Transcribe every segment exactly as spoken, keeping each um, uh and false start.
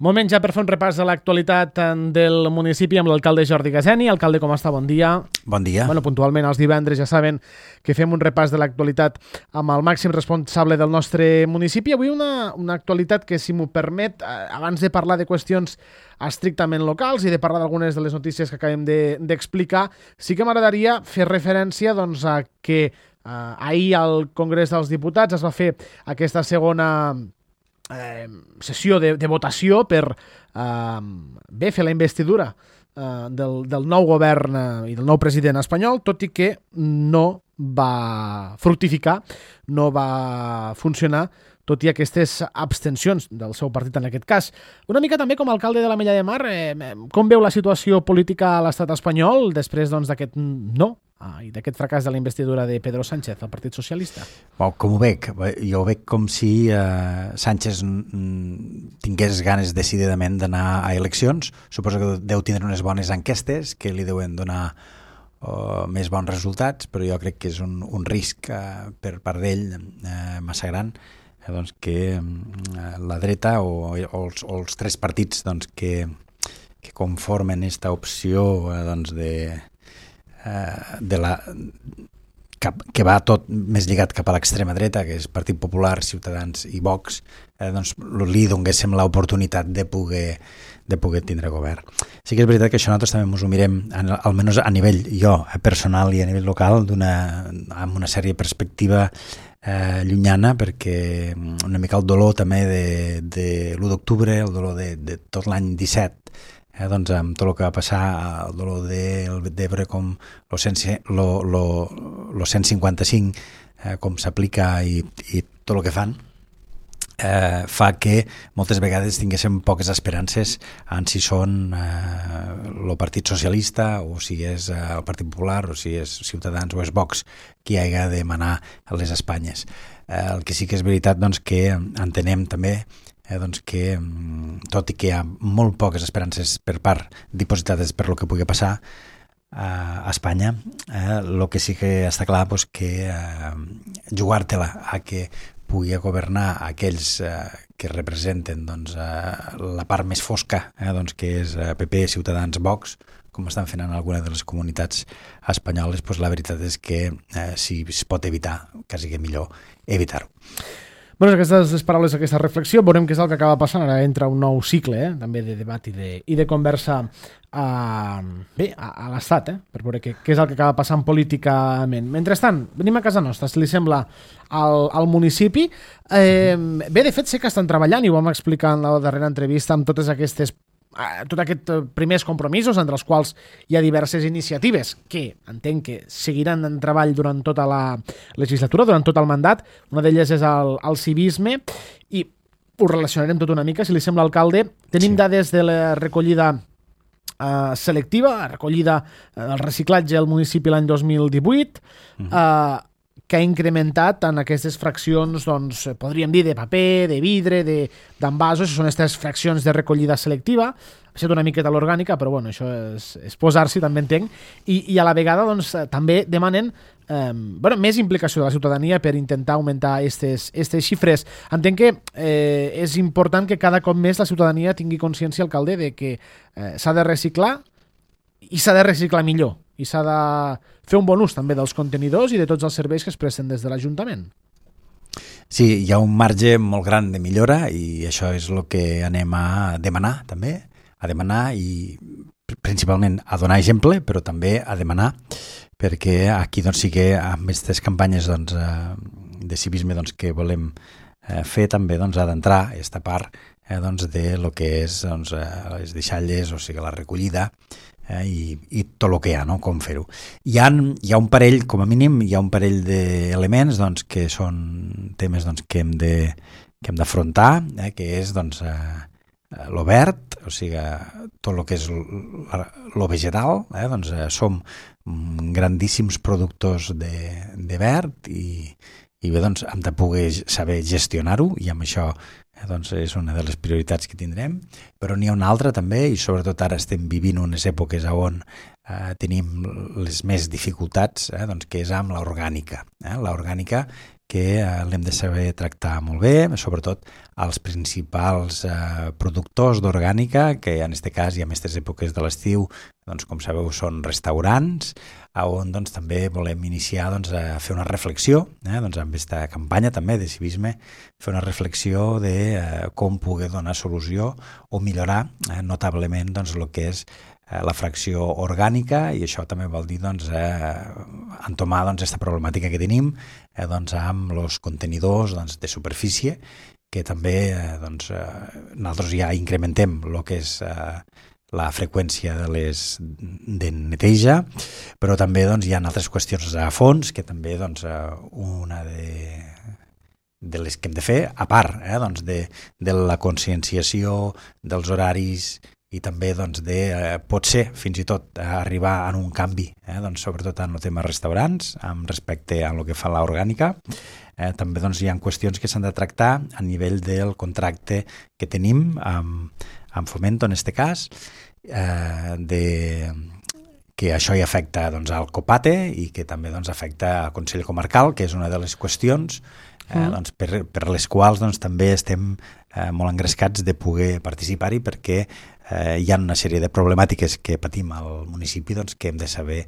Moment ja per fer un repàs de l'actualitat del municipi amb l'alcalde Jordi Gazeni. Alcalde, com està? Bon dia. Bon dia. Bueno, puntualment els divendres ja saben que fem un repàs de l'actualitat amb el màxim responsable del nostre municipi. Avui una, una actualitat que, si m'ho permet, abans de parlar de qüestions estrictament locals i de parlar d'algunes de les notícies que acabem d'explicar, de, sí que m'agradaria fer referència doncs, a que eh, ahir al Congrés dels Diputats es va fer aquesta segona Eh, sessió de, de votació per eh, bé fer la investidura eh, del, del nou govern eh, i del nou president espanyol, tot i que no va fructificar, no va funcionar, tot i aquestes abstencions del seu partit en aquest cas. Una mica també com a alcalde de l'Ametlla de Mar, eh, com veu la situació política a l'estat espanyol després doncs, d'aquest no ah, i d'aquest fracàs de la investidura de Pedro Sánchez, el Partit Socialista? Bon, com ho veig? Jo ho veig com si eh, Sánchez mm, tingués ganes decididament d'anar a eleccions. Suposo que deu tindre unes bones enquestes que li deuen donar uh, més bons resultats, però jo crec que és un, un risc uh, per part d'ell uh, massa gran, eh, doncs que uh, la dreta o, o, els, o els tres partits doncs, que, que conformen aquesta opció uh, doncs de de la cap, que va tot més lligat cap a l'extrema dreta, que és Partit Popular, Ciutadans i Vox, eh, doncs li donéssim l'oportunitat de poder, de poder tindre govern. Sí que és veritat que això nosaltres també ens ho mirem, almenys a nivell jo, personal i a nivell local, d'una, amb una sèrie de perspectiva eh, llunyana, perquè una mica el dolor també de, de l'u d'octubre, el dolor de, de tot l'any disset, Eh, doncs amb tot el que va passar, el dolor de, de veure com el cent cinquanta-cinc eh, com s'aplica i, i tot el que fan, eh, fa que moltes vegades tinguéssim poques esperances en si són eh, el Partit Socialista o si és eh, el Partit Popular o si és Ciutadans o és Vox qui haga de manar a les Espanyes. Eh, el que sí que és veritat doncs, que entenem també Eh, doncs que, tot i que hi ha molt poques esperances per part dipositades per lo que pugui passar eh, a Espanya, eh, el que sí que està clar doncs, que eh, jugar-te-la a que pugui governar aquells eh, que representen doncs, eh, la part més fosca, eh, doncs, que és eh, P P, Ciutadans, Vox, com estan fent en alguna de les comunitats espanyoles, doncs la veritat és que eh, si es pot evitar, quasi que millor evitar-ho. Bueno, aquestes les paraules, aquesta reflexió, veurem què és el que acaba passant. Ara entra un nou cicle, eh, també de debat i de, i de conversa a, bé, a, a l'Estat, eh, per veure què, què és el que acaba passant políticament. Mentrestant, venim a casa nostra, si li sembla, al, al municipi. Eh, bé, de fet, sé que estan treballant, i ho vam explicar en la darrera entrevista, amb totes aquestes tots aquests primers compromisos, entre els quals hi ha diverses iniciatives que entenc que seguiran en treball durant tota la legislatura, durant tot el mandat. Una d'elles és el, el civisme, i ho relacionarem tot una mica, si li sembla, alcalde. Tenim sí. dades de la recollida eh, selectiva, la recollida del eh, reciclatge al municipi l'any dos mil divuit, uh-huh. eh, que ha incrementat en aquestes fraccions, doncs, podríem dir, de paper, de vidre, d'envasos, són aquestes fraccions de recollida selectiva. Ha estat una miqueta l'orgànica, però bueno, això és, és posar-s'hi, també entenc, i, i a la vegada doncs, també demanen eh, bueno, més implicació de la ciutadania per intentar augmentar aquestes xifres. Entenc que eh, és important que cada cop més la ciutadania tingui consciència, alcalde, de que eh, s'ha de reciclar i s'ha de reciclar millor, i s'ha de fer un bon ús també dels contenidors i de tots els serveis que es presten des de l'Ajuntament. Sí, hi ha un marge molt gran de millora i això és el que anem a demanar també, a demanar i principalment a donar exemple, però també a demanar, perquè aquí doncs, sí que amb aquestes campanyes doncs, de civisme doncs, que volem fer també doncs, ha d'entrar aquesta part eh, doncs, de lo que és doncs, les deixalles, o sigui la recollida, Eh, i, i tot el que hi ha, no? Com fer-ho. Hi ha, hi ha un parell, com a mínim, hi ha un parell d'elements doncs, que són temes doncs, que hem de, que hem d'afrontar, eh, que és doncs, eh, lo verd, o sigui, tot el que és lo vegetal, eh, doncs, eh, som grandíssims productors de, de verd i, i bé, doncs, hem de poder saber gestionar-ho, i amb això eh, doncs és una de les prioritats que tindrem. Però n'hi ha una altra també, i sobretot ara estem vivint unes èpoques on eh, tenim les més dificultats, eh, doncs, que és amb l'orgànica. Eh? L'orgànica que eh, l'hem de saber tractar molt bé, sobretot els principals eh, productors d'orgànica, que en aquest cas i en aquestes èpoques de l'estiu, doncs, com sabeu, són restaurants, on doncs, també volem iniciar doncs, a fer una reflexió, eh, doncs, amb aquesta campanya també de civisme, fer una reflexió de eh, com poder donar solució o millorar eh, notablement doncs, el que és la fracció orgànica, i això també vol dir doncs, eh, entomar doncs, aquesta problemàtica que tenim eh, doncs, amb els contenidors doncs, de superfície, que també eh, doncs, eh, nosaltres ja incrementem el que és eh, la freqüència de les de neteja, però també doncs, hi ha altres qüestions a fons que també doncs, una de de les que hem de fer, a part eh, doncs de, de la conscienciació dels horaris i també doncs, de, eh, pot ser fins i tot eh, arribar a un canvi, eh, doncs, sobretot en el tema restaurants, amb respecte a el que fa l'orgànica. Eh, també doncs, hi ha qüestions que s'han de tractar a nivell del contracte que tenim amb, amb Fomento, en aquest cas, eh, de, que això hi afecta doncs, al COPATE i que també doncs, afecta al Consell Comarcal, que és una de les qüestions eh, mm. doncs, per, per les quals doncs, també estem eh, molt engrescats de poder participar-hi, perquè eh, hi ha una sèrie de problemàtiques que patim al municipi doncs, que hem de saber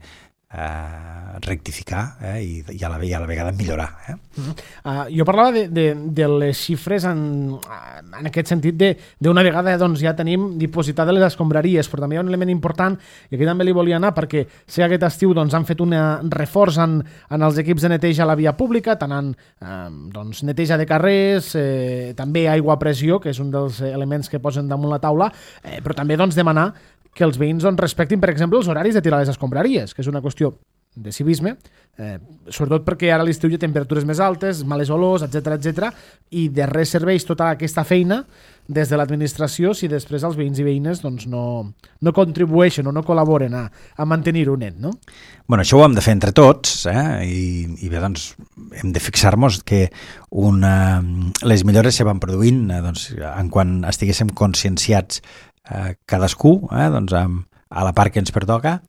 eh, rectificar eh, i, i, a la, i a la vegada millorar. Eh? Mm-hmm. uh, jo parlava de, de, de les xifres en, en aquest sentit d'una vegada doncs, ja tenim dipositades les escombraries, però també hi ha un element important i aquí també li volia anar perquè sé que aquest estiu doncs, han fet un reforç en, en els equips de neteja a la via pública, tant en eh, doncs, neteja de carrers, eh, també aigua a pressió, que és un dels elements que posen damunt la taula, eh, però també doncs, demanar que els veïns doncs, respectin, per exemple, els horaris de tirar les escombraries, que és una qüestió de civisme, eh, sobretot perquè ara a l'estiu hi ha temperatures més altes, males olors, etcètera, etcètera, i de res serveix tota aquesta feina des de l'administració si després els veïns i veïnes doncs, no, no contribueixen o no col·laboren a, a mantenir-ho net, no? Bueno, això ho hem de fer entre tots, eh? I, i bé, doncs, hem de fixar-nos que una, les millores se van produint eh, doncs, en quan estiguéssim conscienciats eh, cadascú, eh, doncs, amb, a la part que ens pertoca,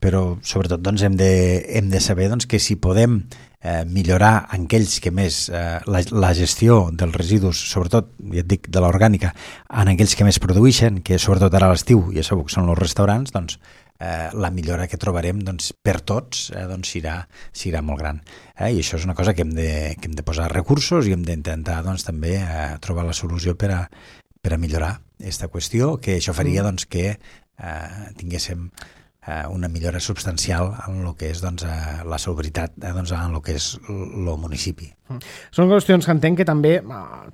però sobretot doncs, hem, de, hem de saber doncs, que si podem eh, millorar en aquells que més eh, la, la gestió dels residus, sobretot, ja et dic, de l'orgànica, en aquells que més produeixen, que sobretot ara a l'estiu, ja sabeu que són els restaurants, doncs eh, la millora que trobarem doncs, per tots eh, doncs, serà, serà molt gran. Eh? I això és una cosa que hem de, que hem de posar recursos i hem d'intentar doncs, també eh, trobar la solució per a, per a millorar aquesta qüestió, que això faria doncs, que eh, tinguéssim una millora substancial en el que és doncs, la salubritat eh, doncs, en el que és el municipi. Són qüestions que entenc que també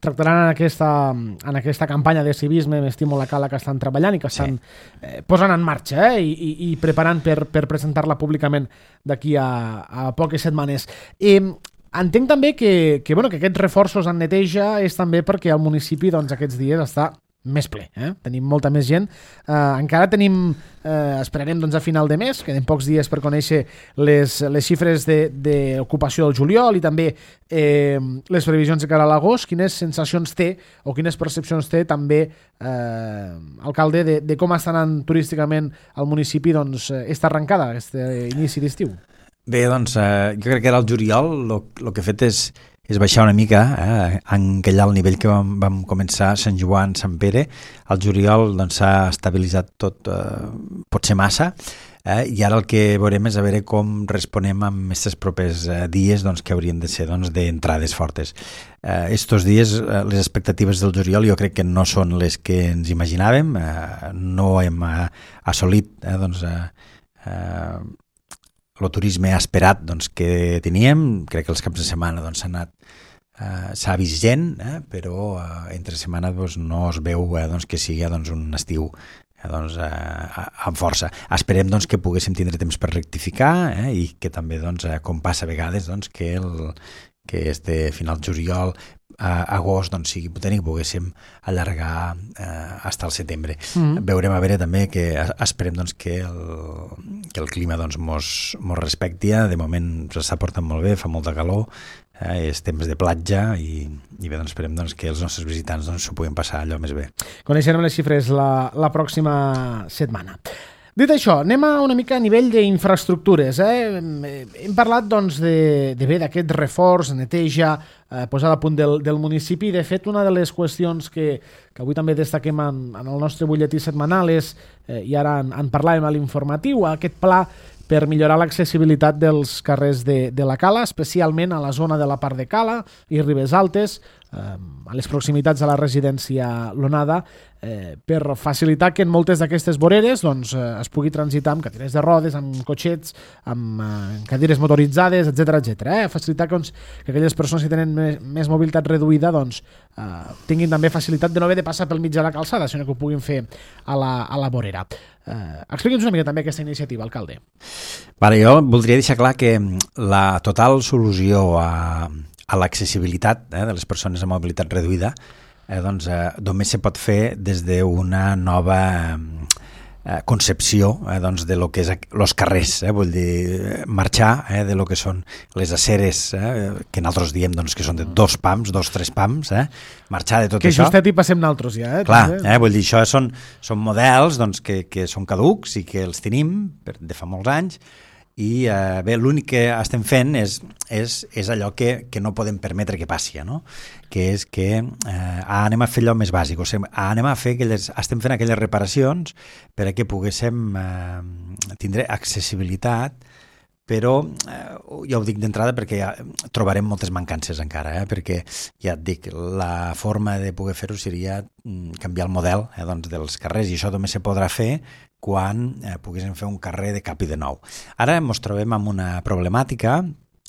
tractaran en aquesta, en aquesta campanya de civisme M'estimo la cala que estan treballant i que estan sí. eh, posant en marxa eh, i, i preparant per, per presentar-la públicament d'aquí a, a poques setmanes. Eh, entenc també que, que, bueno, que aquests reforços en neteja és també perquè el municipi doncs, aquests dies està més ple, eh? Tenim molta més gent. Eh, encara tenim, eh, esperarem doncs, a final de mes, queden pocs dies per conèixer les, les xifres d'ocupació del juliol i també eh, les previsions de cara a l'agost. Quines sensacions té o quines percepcions té també, eh, alcalde, de, de com està anant turísticament al municipi doncs, esta arrencada, aquest inici d'estiu? Bé, doncs, eh, jo crec que era el juliol, el que he fet és és baixar una mica, eh, enquellar el nivell que vam, vam començar a Sant Joan, Sant Pere. El juliol doncs, s'ha estabilitzat tot, eh, potser massa, eh, i ara el que veurem és a veure com responem en aquests propers eh, dies doncs, que haurien de ser doncs, d'entrades fortes. Eh, estos dies, eh, les expectatives del juliol jo crec que no són les que ens imaginàvem, eh, no hem eh, assolit eh, doncs, eh, eh, el turisme esperat doncs, que teníem. Crec que els caps de setmana doncs, s'ha anat eh, s'ha vist gent, eh, però eh, entre setmana doncs, no es veu eh, doncs, que sigui doncs, un estiu eh, doncs, eh, amb força. Esperem doncs, que poguéssim tindre temps per rectificar eh, i que també, doncs, eh, com passa a vegades, doncs, que, el, que este final juliol a agost doncs, sigui potent i poguéssim allargar eh, fins al setembre. Mm-hmm. Veurem a veure també que esperem doncs, que, el, que el clima doncs, mos, mos respecti. De moment s'està portant molt bé, fa molta calor, eh, és temps de platja i, i bé, doncs, esperem doncs, que els nostres visitants doncs, s'ho puguin passar allò més bé. Coneixerem les xifres la, la pròxima setmana. Dit això, anem a una mica a nivell d'infraestructures. Eh? Hem parlat doncs, de, de bé d'aquest reforç, neteja, eh, posada a punt del, del municipi. De fet, una de les qüestions que, que avui també destaquem en, en el nostre butlletí setmanal és, eh, i ara en, en parlàvem a l'informatiu, aquest pla per millorar l'accessibilitat dels carrers de, de la Cala, especialment a la zona de la part de Cala i Ribes Altes, eh, a les proximitats de la residència L'Onada, eh, per facilitar que en moltes d'aquestes voreres doncs, eh, es pugui transitar amb cadires de rodes, amb cotxets, amb eh, cadires motoritzades, etcètera etcètera. Eh? Facilitar que, doncs, que aquelles persones que tenen més, més mobilitat reduïda doncs, eh, tinguin també facilitat de no haver de passar pel mig de la calçada, sinó que ho puguin fer a la, a la vorera. Uh, Explica'ns una mica també aquesta iniciativa, alcalde. Vale, jo voldria deixar clar que la total solució a, a l'accessibilitat eh, de les persones amb mobilitat reduïda eh, doncs, eh, només se pot fer des d'una nova eh, concepció eh, doncs, de lo que és els carrers, eh, vull dir, marxar eh, de lo que són les aceres, eh, que nosaltres diem doncs, que són de dos pams, dos, tres pams, eh, marxar de tot que això. Que justet hi passem naltros ja. Eh, Clar, eh, vull dir, això són, són models doncs, que, que són caducs i que els tenim de fa molts anys i eh, bé, l'únic que estem fent és, és, és allò que, que no podem permetre que passi, no? Que és que eh, anem a fer allò més bàsic, o sigui, anem a fer aquelles, estem fent aquelles reparacions per a que poguéssim eh, tindre accessibilitat, però eh, ja ho dic d'entrada perquè ja trobarem moltes mancances encara, eh? Perquè ja et dic, la forma de poder fer-ho seria canviar el model eh, doncs, dels carrers, i això només se podrà fer quan eh, poguéssim fer un carrer de cap i de nou. Ara ens trobem amb una problemàtica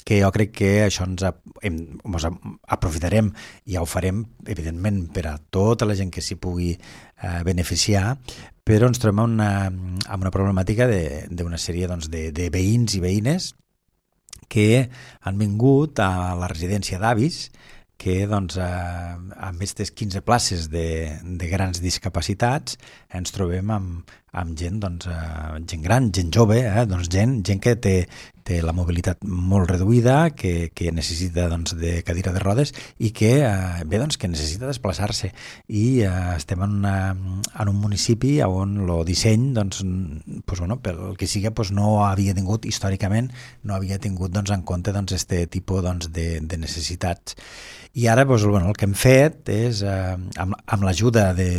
que jo crec que això ens, hem, ens aprofitarem i ja ho farem, evidentment, per a tota la gent que s'hi pugui eh, beneficiar, però ens trobem amb una, amb una problemàtica d'una sèrie doncs, de, de veïns i veïnes que han vingut a la residència d'avis que doncs, eh, amb aquestes quinze places de, de grans discapacitats ens trobem amb, amb gent, doncs, eh, gent gran, gent jove, eh, doncs gent, gent que té, té la mobilitat molt reduïda, que, que necessita doncs, de cadira de rodes i que, eh, bé, doncs, que necessita desplaçar-se. I eh, estem en, una, en un municipi on el disseny, doncs, pues, bueno, pel que sigui, pues, no havia tingut, històricament, no havia tingut doncs, en compte doncs, este tipus doncs, de, de necessitats. I ara doncs, bueno, el que hem fet és, eh, amb, amb l'ajuda de,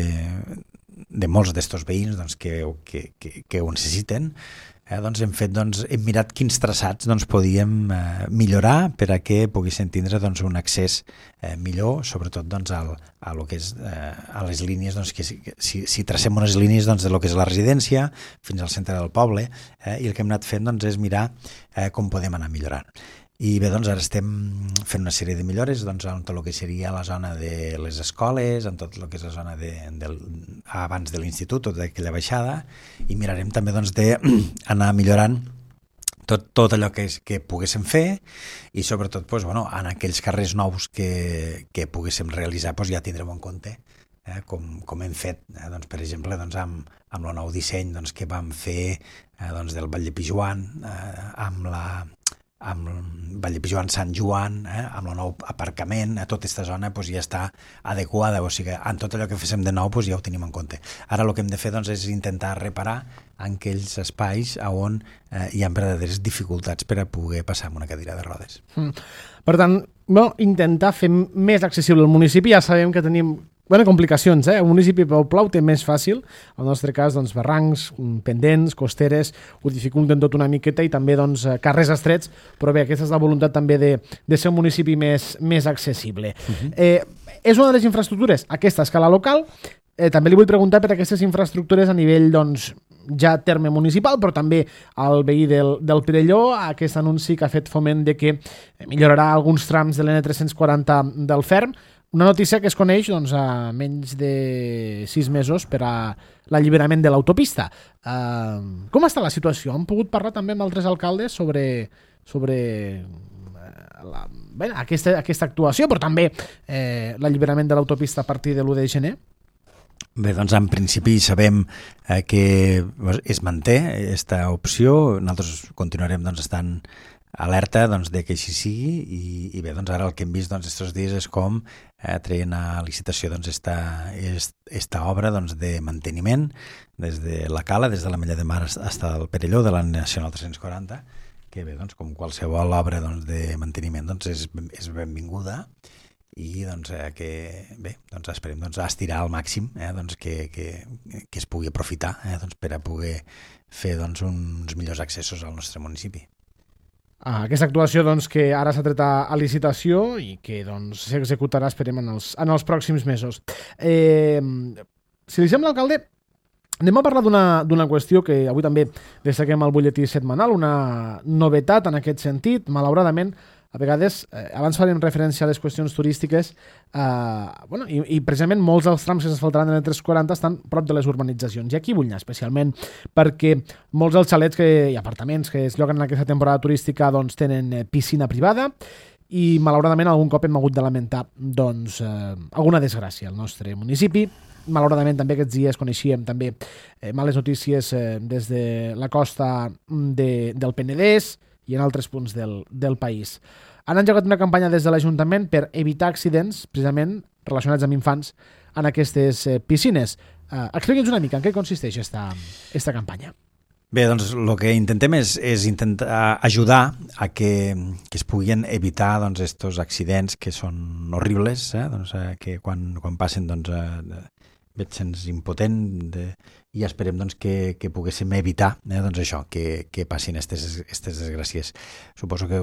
de molts d'estos veïns doncs, que, que, que, que ho necessiten, eh, doncs, hem, fet, doncs, hem mirat quins traçats doncs, podíem eh, millorar per a que poguessin tindre doncs, un accés eh, millor, sobretot doncs, al, a, lo que és, eh, a les línies, doncs, que si, si, si tracem unes línies doncs, de lo que és la residència fins al centre del poble, eh, i el que hem anat fent doncs, és mirar eh, com podem anar millorant. I bé, doncs ara estem fent una sèrie de millores doncs, en tot el que seria la zona de les escoles, en tot el que és la zona de, del, abans de l'institut, tota aquella baixada, i mirarem també doncs, d'anar millorant tot, tot allò que, és, que poguéssim fer i sobretot doncs, bueno, en aquells carrers nous que, que poguéssim realitzar doncs, ja tindrem en compte eh, com, com hem fet, eh, doncs, per exemple, doncs, amb, amb el nou disseny doncs, que vam fer eh, doncs, del Vall de Pijuan, eh, amb la amb Vall de Pijuan, Sant Joan, eh, amb el nou aparcament, a tota aquesta zona doncs, ja està adequada, o sigui, en tot allò que féssim de nou doncs, ja ho tenim en compte. Ara el que hem de fer doncs, és intentar reparar en aquells espais on eh, hi ha verdaderes dificultats per a poder passar amb una cadira de rodes. Mm. Per tant, no, intentar fer més accessible el municipi, ja sabem que tenim bueno, complicacions, eh? Un municipi Pau Plau té més fàcil, en el nostre cas, doncs, barrancs, pendents, costeres, ho dificulten tot una miqueta i també doncs, carrers estrets, però bé, aquesta és la voluntat també de, de ser un municipi més, més accessible. Uh-huh. eh, és una de les infraestructures, aquesta a escala local, eh, també li vull preguntar per aquestes infraestructures a nivell, doncs, ja terme municipal, però també al veí del, del Pirelló, aquest anunci que ha fet Foment de que millorarà alguns trams de l'N tres-cents quaranta del Ferm, una notícia que es coneix doncs, a menys de sis mesos per a l'alliberament de l'autopista. Uh, com està la situació? Han pogut parlar també amb altres alcaldes sobre, sobre la, bé, aquesta, aquesta actuació, però també eh, l'alliberament de l'autopista a partir de l'u de gener? Bé, doncs en principi sabem eh, que es manté aquesta opció. Nosaltres continuarem doncs, estant alerta doncs, de que així sigui i, i bé, doncs ara el que hem vist doncs, estos dies és com eh, treien a licitació doncs, esta, esta obra doncs, de manteniment des de la Cala, des de la Mella de Mar fins al Perelló de la Nacional tres-cents quaranta, que bé, doncs, com qualsevol obra doncs, de manteniment doncs, és, és benvinguda i doncs, eh, que bé, doncs, esperem doncs, estirar al màxim eh, doncs, que, que, que es pugui aprofitar eh, doncs, per a poder fer doncs, uns millors accessos al nostre municipi. Ah, aquesta actuació doncs, que ara s'ha tret a, a licitació i que doncs, s'executarà, esperem, en els, en els pròxims mesos. Eh, si li sembla, alcalde, anem a parlar d'una qüestió que avui també destaquem al butlletí setmanal, una novetat en aquest sentit. Malauradament, a vegades, eh, abans farem referència a les qüestions turístiques, eh, bueno, i, i precisament molts dels trams que s'asfaltaran de la tres quaranta estan prop de les urbanitzacions. I aquí vull anar especialment perquè molts dels xalets que, i apartaments que es lloguen en aquesta temporada turística doncs, tenen piscina privada i malauradament algun cop hem hagut de lamentar doncs, eh, alguna desgràcia al nostre municipi. Malauradament també aquests dies coneixíem també eh, males notícies eh, des de la costa de, del Penedès i en altres punts del, del país. Han engegat una campanya des de l'Ajuntament per evitar accidents, precisament relacionats amb infants, en aquestes eh, piscines. Eh, Explica'ns una mica en què consisteix esta, esta campanya. Bé, doncs el que intentem és, és intentar ajudar a que, que es puguin evitar doncs, estos accidents que són horribles, eh? doncs, eh, que quan, quan passen doncs, eh, veig sents impotent de, i esperem doncs, que, que poguéssim evitar eh, doncs, això, que, que passin aquestes desgràcies. Suposo que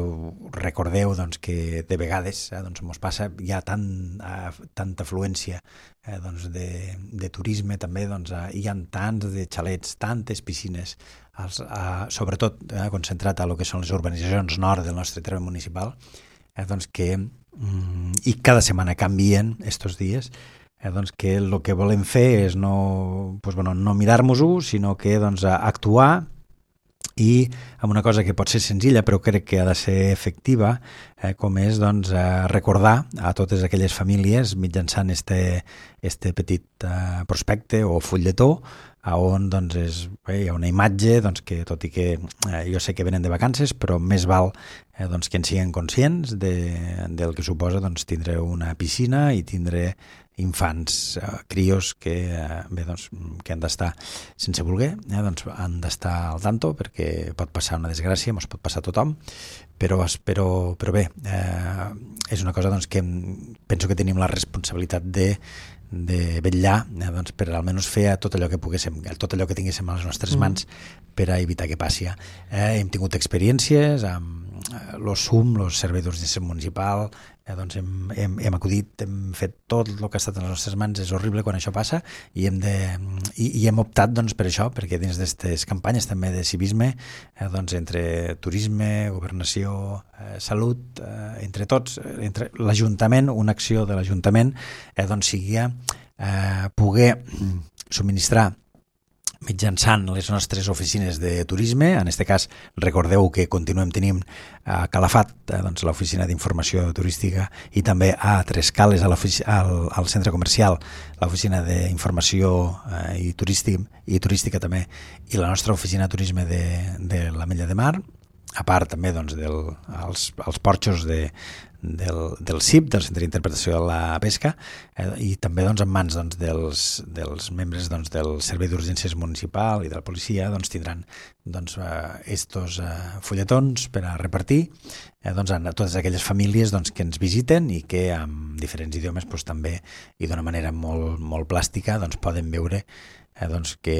recordeu doncs, que de vegades eh, doncs, mos passa, hi ha tant, eh, tanta afluència eh, doncs, de, de turisme també, doncs, eh, hi ha tants de xalets, tantes piscines, els, eh, sobretot eh, concentrat a lo que són les urbanitzacions nord del nostre terme municipal, eh, doncs que mm, i cada setmana canvien estos dies. Eh, doncs que el que volem fer és no, doncs, bueno, no mirar-nos-ho, sinó que doncs, actuar i amb una cosa que pot ser senzilla però crec que ha de ser efectiva, eh, com és doncs, recordar a totes aquelles famílies mitjançant este, este petit eh, prospecte o fulletó on doncs, és, bé, hi ha una imatge doncs, que tot i que eh, jo sé que venen de vacances però més val eh, doncs, que en siguin conscients de, del que suposa doncs, tindre una piscina i tindre infants, eh, crios que, eh, bé, doncs, que han d'estar sense voler, eh, doncs, han d'estar al tanto perquè pot passar una desgràcia, ens pot passar a tothom, però, però, però bé, eh, és una cosa doncs, que penso que tenim la responsabilitat de de vetllar eh, doncs, per almenys fer tot allò que poguéssim, tot allò que tinguéssim a les nostres mans mm. per a evitar que passi. Eh, hem tingut experiències amb eh, los S U M, els serveis d'urgència municipal, eh, doncs hem, hem, hem acudit, hem fet tot el que ha estat a les nostres mans, és horrible quan això passa i hem, de, i, i hem optat doncs, per això, perquè dins d'aquestes campanyes també de civisme, eh, doncs, entre turisme, governació, eh, salut, eh, entre tots, entre l'Ajuntament, una acció de l'Ajuntament, eh, doncs sigui eh, poder subministrar mitjançant les nostres oficines de turisme. En aquest cas, recordeu que continuem tenint a Calafat eh, doncs, l'oficina d'informació turística i també a Tres Cales, a al, al centre comercial, l'oficina d'informació eh, i, turístic, i turística també, i la nostra oficina de turisme de, de la Mella de Mar, a part també doncs, del, els, els porxos de, del, del C I P, del Centre d'Interpretació de la Pesca, eh, i també doncs, en mans doncs, dels, dels membres doncs, del Servei d'Urgències Municipal i de la policia doncs, tindran doncs, eh, estos eh, fulletons per a repartir eh, doncs, a totes aquelles famílies doncs, que ens visiten i que amb diferents idiomes doncs, també i d'una manera molt, molt plàstica doncs, poden veure Eh, doncs que,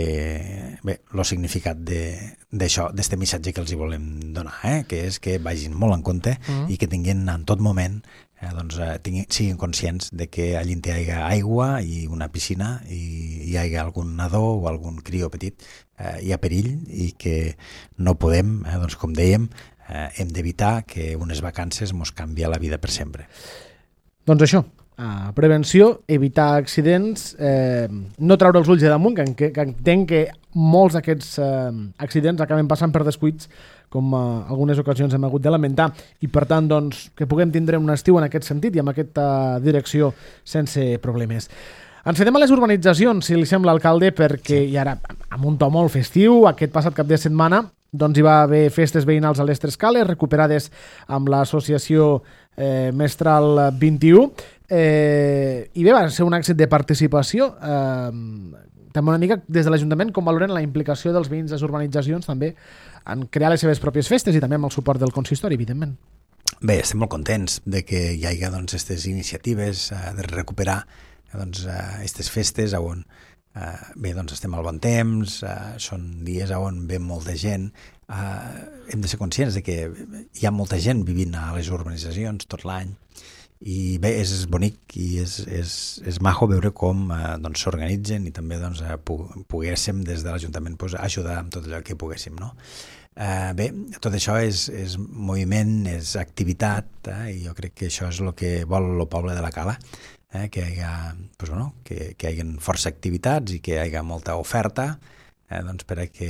bé, el significat d'això, d'aquest missatge que els hi volem donar, eh? que és que vagin molt en compte mm. i que tinguin en tot moment, eh, doncs, eh, tinguin, siguin conscients de que allí hi hagi aigua i una piscina i hi hagi algun nadó o algun crió petit, eh, hi ha perill i que no podem, eh, doncs, com dèiem, eh, hem d'evitar que unes vacances mos canvia la vida per sempre. Doncs això, Uh, prevenció, evitar accidents, eh, no treure els ulls de damunt, que, que entenc que molts d'aquests eh, accidents acaben passant per descuits, com uh, algunes ocasions hem hagut de lamentar, i per tant doncs, que puguem tindre un estiu en aquest sentit i amb aquesta direcció sense problemes. Ens quedem a les urbanitzacions, si li sembla, alcalde, perquè, i ara amb un to molt festiu, aquest passat cap de setmana, doncs hi va haver festes veïnals a les Tres Cales, recuperades amb l'associació eh, Mestral vint i u, eh, i bé, va ser un èxit de participació. Eh, també una mica des de l'Ajuntament com valoren la implicació dels veïns de les urbanitzacions també en crear les seves pròpies festes i també amb el suport del consistori, evidentment. Bé, estem molt contents de que hi hagi aquestes doncs, iniciatives eh, de recuperar doncs, aquestes festes on eh, bé, doncs estem al bon temps, eh, són dies on ve molta gent, eh, hem de ser conscients de que hi ha molta gent vivint a les urbanitzacions tot l'any i bé, és bonic i és, és, és maco veure com eh, doncs, s'organitzen i també doncs, eh, poguéssim des de l'Ajuntament pues, ajudar amb tot allò que poguéssim, no? Eh, bé, tot això és, és moviment, és activitat, eh, i jo crec que això és el que vol el poble de la Cala, eh, que hi ha, pues, bueno, que, que hi hagi força activitats i que hi hagi molta oferta, eh, doncs per a que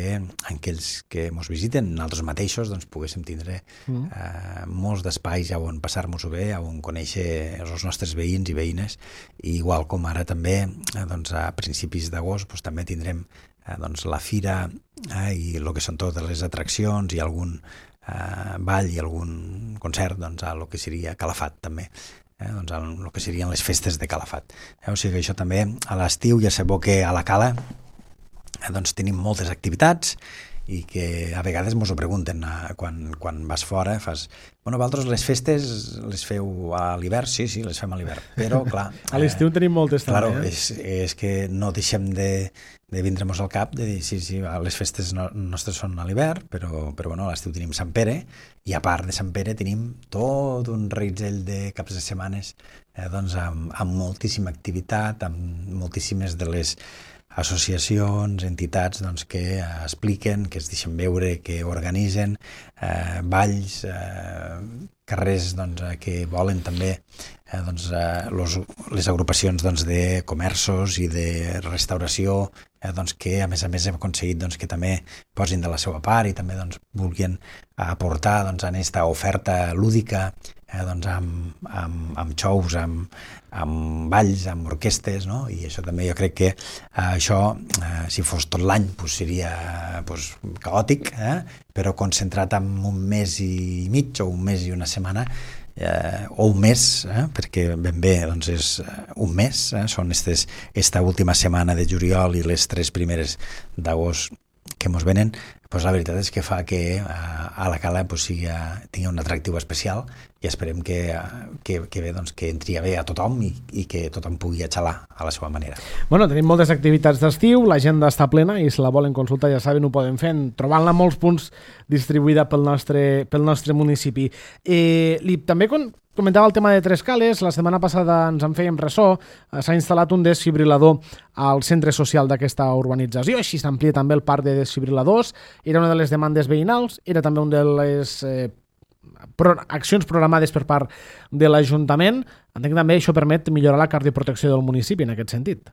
aquells que ens visiten, nosaltres mateixos, doncs poguéssim tindre mm. eh, molts d'espais on passar-nos-ho bé, on conèixer els nostres veïns i veïnes, i igual com ara també, eh, doncs a principis d'agost, doncs, també tindrem Eh, doncs la fira eh, i el que són totes les atraccions i algun eh, ball i algun concert doncs, a lo que seria Calafat també, eh, doncs a lo que serien les festes de Calafat. Eh, o sigui que això també a l'estiu ja sabeu que a la Cala eh, doncs tenim moltes activitats i que a vegades mos ho pregunten eh, quan, quan vas fora, fas, bueno, vosaltres les festes les feu a l'hivern? Sí, sí, les fem a l'hivern, però clar... a l'estiu eh, tenim moltes claro, també. Eh? És, és que no deixem de, de vindre-nos al cap, de dir, sí, sí, les festes no, nostres són a l'hivern, però, però bueno, a l'estiu tenim Sant Pere, i a part de Sant Pere tenim tot un reguitzell de caps de setmanes eh, doncs amb, amb moltíssima activitat, amb moltíssimes de les associacions, entitats doncs, que eh, expliquen, que es deixen veure, que organitzen eh, balls, eh, carrers doncs, que volen també eh, doncs, eh, los, les agrupacions doncs, de comerços i de restauració, eh, doncs, que a més a més hem aconseguit doncs, que també posin de la seva part i també doncs, vulguin aportar doncs, en aquesta oferta lúdica, eh, doncs, amb, amb, amb xous, amb, amb balls, amb orquestes, no? I això també jo crec que eh, això, eh, si fos tot l'any, pues, seria pues, caòtic, eh? Però concentrat en un mes i mig o un mes i una setmana, eh, o un mes, eh? Perquè ben bé doncs és un mes, eh? Són estes, esta última setmana de juliol i les tres primeres d'agost que mos venen, pues la veritat és que fa que a, a la Cala pues, sigui, tingui un atractiu especial i esperem que, que, que, bé, doncs, que entri bé a tothom i, i que tothom pugui atxalar a la seva manera. Bueno, tenim moltes activitats d'estiu, l'agenda està plena i si la volen consultar ja saben, ho poden fer, trobant-la en molts punts distribuïda pel nostre, pel nostre municipi. Eh, li, també con, comentava el tema de Tres Cales, la setmana passada ens en fèiem ressò, s'ha instal·lat un desfibrilador al centre social d'aquesta urbanització, així s'amplia també el parc de desfibriladors, era una de les demandes veïnals, era també una de les eh, pro, accions programades per part de l'Ajuntament. Entenc que també això permet millorar la cardioprotecció del municipi en aquest sentit.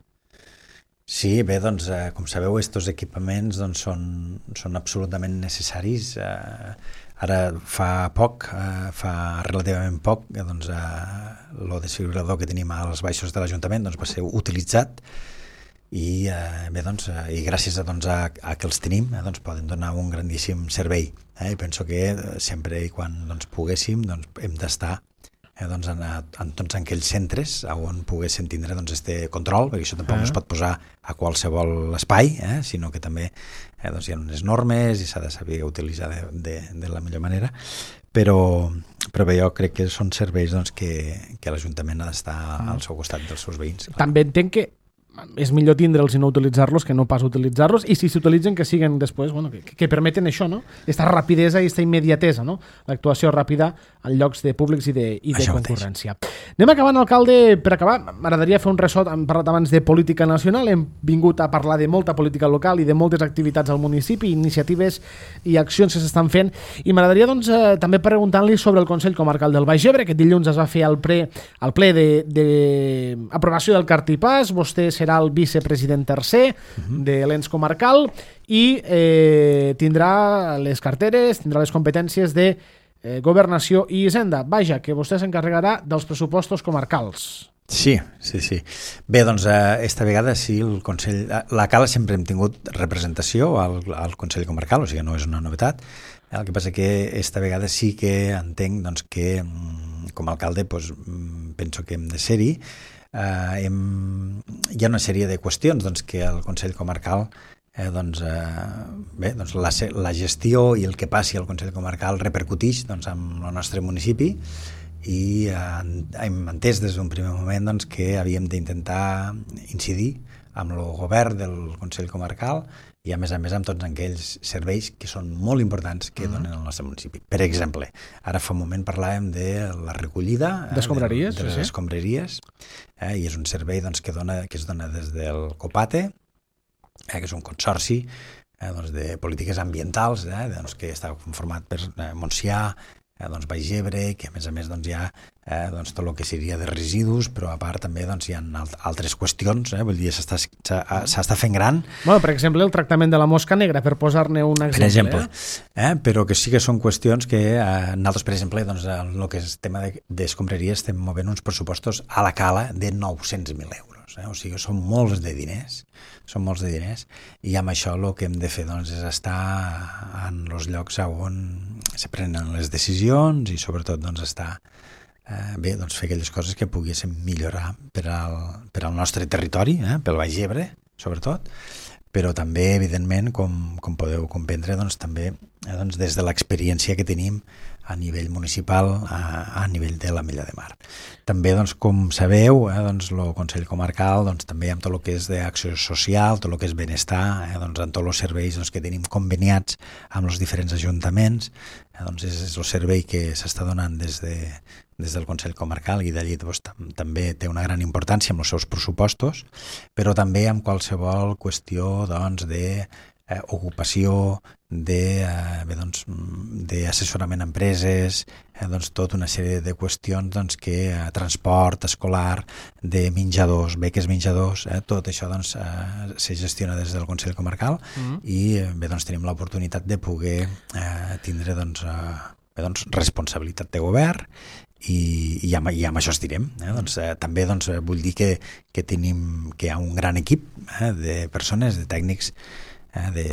Sí, bé, doncs, eh, com sabeu, estos equipaments doncs, són, són absolutament necessaris. Eh, ara fa poc, eh, fa relativament poc, eh, doncs, eh, el desfibrilador que tenim als baixos de l'Ajuntament doncs, va ser utilitzat i, eh, bé, doncs, eh, i gràcies a, doncs, a, a que els tenim eh, doncs, poden donar un grandíssim servei. Eh? I penso que eh, sempre i quan doncs, poguéssim doncs, hem d'estar eh, doncs, en, en tots aquells centres on poguéssim tindre doncs, este control, perquè això tampoc no es pot posar a qualsevol espai, eh, sinó que també eh, doncs, hi ha unes normes i s'ha de saber utilitzar de, de, de la millor manera, però, però bé, jo crec que són serveis doncs, que, que l'Ajuntament ha d'estar al seu costat dels seus veïns. Clar. També entenc que és millor tindre'ls i no utilitzar-los que no pas utilitzar-los, i si s'utilitzen que siguen després, bueno, que, que permeten això, no? Aquesta rapidesa i aquesta immediatesa, no? L'actuació ràpida en llocs de públics i de, i de concurrència. Mateix. Anem acabant, alcalde, per acabar, m'agradaria fer un ressò, hem parlat abans de política nacional, hem vingut a parlar de molta política local i de moltes activitats al municipi, iniciatives i accions que s'estan fent, i m'agradaria doncs eh, també preguntar-li sobre el Consell Comarcal del Baix Ebre. Aquest dilluns es va fer el, pre, el ple de, de aprovació del cartipàs, vostè serà el vicepresident tercer uh-huh. de l'ens comarcal i eh, tindrà les carteres, tindrà les competències de eh, governació i hisenda. Vaja, que vostè s'encarregarà dels pressupostos comarcals. Sí, sí, sí. Bé, doncs, esta vegada sí, el Consell... La Cala sempre hem tingut representació al, al Consell Comarcal, o sigui, no és una novetat. El que passa que esta vegada sí que entenc doncs, que, com a alcalde, doncs, penso que hem de ser-hi. Uh, hem... Hi ha una sèrie de qüestions doncs, que el Consell Comarcal, eh, doncs, eh, bé, doncs la, la gestió i el que passi al Consell Comarcal repercutix doncs, en el nostre municipi, i eh, hem entès des d'un primer moment doncs, que havíem d'intentar incidir amb el govern del Consell Comarcal i a més a més amb tots aquells serveis que són molt importants que donen al nostre municipi. Per exemple, ara fa un moment parlàvem de la recollida eh, d'escombraries, de, de les sí. escombraries, eh, i és un servei doncs, que, dona, que es dona des del COPATE, eh, que és un consorci eh, doncs, de polítiques ambientals, eh, doncs, que està conformat per eh, Montsià, Eh, doncs Baix Ebre, que a més a més doncs, hi ha eh, doncs, tot el que seria de residus, però a part també doncs, hi ha altres qüestions, eh, vull dir, s'està fent gran. Bueno, per exemple, el tractament de la mosca negra, per posar-ne un exemple. Per exemple, eh? eh, però que sí que són qüestions que eh, nosaltres, per exemple, doncs, en el que és tema d'escombraria estem movent uns pressupostos a la Cala de nou-cents mil euros. Eh? O sigui, són molts de diners, són molts de diners, i amb això el que hem de fer doncs, és estar en els llocs on se prenen les decisions i sobretot doncs, estar eh, bé, doncs, fer aquelles coses que poguéssim millorar per al, per al nostre territori, eh, pel Baix Ebre, sobretot, però també, evidentment, com, com podeu comprendre, doncs, també eh, doncs, des de l'experiència que tenim a nivell municipal, a, a nivell de l'Ametlla de Mar. També, doncs, com sabeu, eh, doncs, el Consell Comarcal doncs, també amb tot el que és d'acció social, tot el que és benestar, eh, doncs, amb tots els serveis doncs, que tenim conveniats amb els diferents ajuntaments, eh, doncs és, és el servei que s'està donant des, de, des del Consell Comarcal i d'allí doncs, tam també té una gran importància amb els seus pressupostos, però també amb qualsevol qüestió doncs, de eh, ocupació, de, eh, bé, doncs, d'assessorament a empreses, eh, doncs, tota una sèrie de qüestions doncs, que eh, transport escolar, de menjadors, beques menjadors, eh, tot això doncs, eh, se gestiona des del Consell Comarcal mm-hmm. i eh, bé, doncs, tenim l'oportunitat de poder eh, tindre doncs, eh, bé, doncs, responsabilitat de govern i, i, amb, i amb això estirem. Eh? Doncs, eh, també doncs, vull dir que, que, tenim, que hi ha un gran equip eh, de persones, de tècnics eh, de,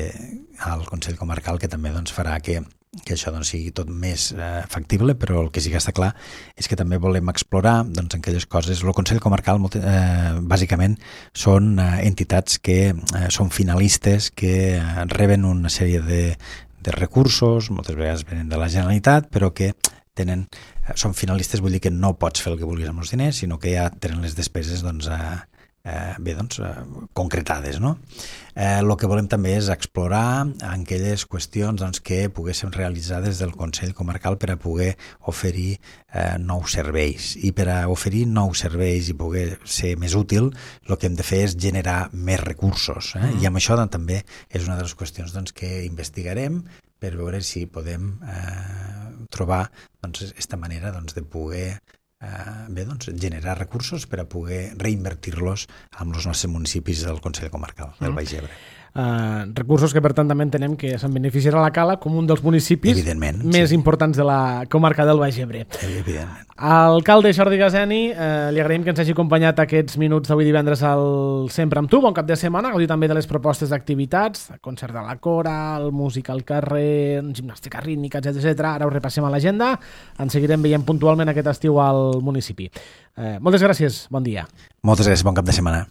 al Consell Comarcal que també doncs, farà que, que això doncs, sigui tot més eh, factible, però el que sí que està clar és que també volem explorar doncs, aquelles coses. El Consell Comarcal molt, eh, bàsicament són eh, entitats que eh, són finalistes, que eh, reben una sèrie de, de recursos, moltes vegades venen de la Generalitat, però que tenen, són finalistes, vull dir que no pots fer el que vulguis amb els diners, sinó que ja tenen les despeses doncs, a, eh, bé, doncs, eh, concretades. No? Eh, el que volem també és explorar aquelles qüestions doncs, que poguéssim realitzar des del Consell Comarcal per a poder oferir eh, nous serveis. I per a oferir nous serveis i poder ser més útil, el que hem de fer és generar més recursos. Eh? Mm. I amb això doncs, també és una de les qüestions doncs, que investigarem per veure si podem eh, trobar doncs, esta manera doncs, de poder eh, bé, doncs, generar recursos per a poder reinvertir-los amb els nostres municipis del Consell Comarcal del Baix Ebre. Uh, recursos que per tant també entenem que se'n beneficiarà la Cala com un dels municipis més sí. importants de la comarca del Baix Ebre. Evidentment. Alcalde Jordi Gazeni, eh, li agraïm que ens hagi acompanyat aquests minuts d'avui divendres al Sempre amb tu. Bon cap de setmana, gaudir també de les propostes d'activitats, el concert de la Cora, el música al carrer, gimnàstica rítmica, etcètera. Ara ho repassem a l'agenda, ens seguirem veient puntualment aquest estiu al municipi. Eh, moltes gràcies, bon dia. Moltes gràcies, bon cap de setmana.